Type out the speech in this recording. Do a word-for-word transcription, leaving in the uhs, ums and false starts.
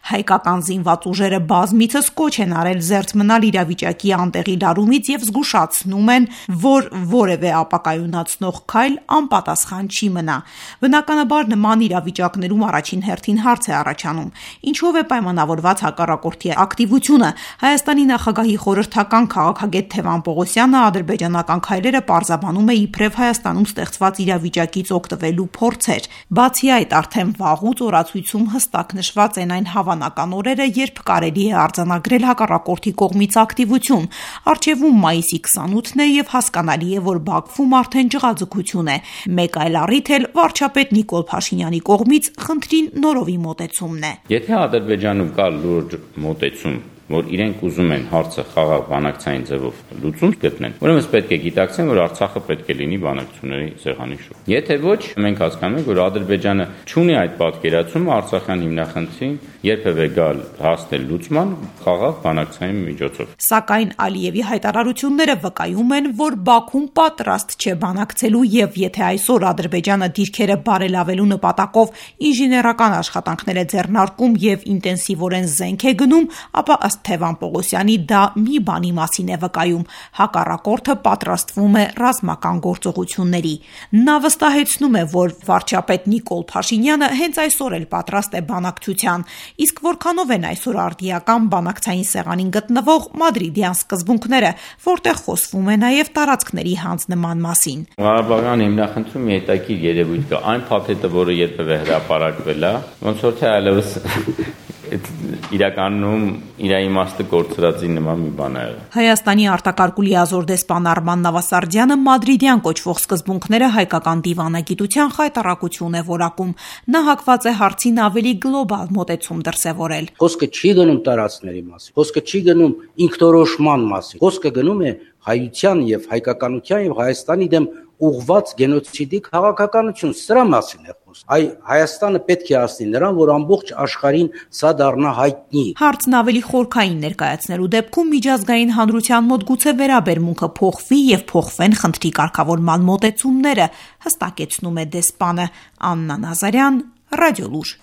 Հայկական զինված ուժերը բազմիցս կոչ են արել զերծ մնալ իրավիճակի անտեղի լարումից եւ զգուշացնում են, որ որևէ ապակայունացնող քայլ անպատասխան չի մնա։ Բնականաբար նման իրավիճակներում առաջին հերթին հարց է առաջանում. ինչով է պայմանավորված հակառակորդի ակտիվությունը։ Հայաստանի նախագահի խորհրդական քաղաքագետ Թևան Պողոսյանը ադրբեջանական քայլերը պարզաբանում է իբրև Հայաստանում ստեղծված իրավիճակից օգտվելու փորձեր։ Բացի այդ, արդեն վաղուց օրացույցում հստակ նշված են այն հավանական օրերը, երբ կարելի է արձանագրել հակառակորդի կողմից ակտիվություն։ Առջևում մայիսի քսանութն է եւ հասկանալի է, որ Բաքվում արդեն ջղաձգություն է։ Մեկ այլ առիթ էլ վարչապետ Նիկոլ Փաշինյանի կողմից խնդրին նորովի մոտեցումն է։ Եթե Ադրբեջանում կա լուրջ մոտեցում, որ իրենք ուզում են հարցը խաղաղ բանակցային ձևով լուծում գտնեն, ուրեմն պետք է գիտակցեն, որ Արցախը պետք է լինի բանակցությունների սեղանի շուրջ։ Եթե ոչ, մենք հասկանում ենք, որ Ադրբեջանը չունի այդ պատկերացումը Արցախյան հիմնախնդրին երբևէ գալ հասնել լուծման խաղաղ բանակցային միջոցով։ Սակայն Ալիևի հայտարարությունները վկայում են, որ Բաքուն պատրաստ չէ բանակցելու եւ եթե այսօր Ադրբեջանը դիրքերը բարելավելու նպատակով ինժեներական աշխատանքներ է ձեռնարկում եւ ինտենսիվորեն զենք է գնում, ապա ըստ Թևան Պողոսյանի դա մի բանի մասին է վկայում. հակառակորդը պատրաստվում է ռազմական գործողությունների։ Նա վստահեցնում է, որ վարչապետ Նիկոլ Փաշինյանը հենց այսօր էլ պատրաստ է բանակցության, իսկ որքանով են այսօր արդիական բանակցային սեղանին գտնվող մադրիդյան սկզբունքները, որտեղ խոսվում է նաև տարածքների հանձնման մասին։ Ղարաբաղյան հիմնախնդրում մի հետաքրքիր երևույթ կա, այն փաթեթը, որը երբևէ հրապարակվել է, ոնց որ թե այլևս իրականում իր իմաստը կորցրածի նման մի բան է եղել։ Հայաստանի արտակարգ ու լիազոր դեսպան Արման Նավասարդյանը մադրիդյան կոչվող սկզբունքները հայկական դիվանագիտության խայտառակություն է որակում։ Նա հակված է հարցին ավելի գլոբալ մոտեցում դրսևորել։ Խոսքը չի գնում տարածքների մասին, խոսքը չի գնում ինքնորոշման մասին, խոսքը գնում է հայության եւ հայկականության եւ Հայաստանի դեմ ուղղված գենոցիդի քաղաքականություն, սրա մասին է խոսքը։ Այ Հայաստանը պետք է ասնի նրան, որ ամբողջ աշխարհին սա դառնա հայտնի։ Հարցն ավելի խորքային ներկայացնելու դեպքում միջազգային հանրության մոտ գուցե վերաբերմունքը փոխվի եւ փոխվեն խնդրի կարգավորման մոտեցումները, հստակեցնում է դեսպանը Աննա Նազարյան, Ռադիոլուր։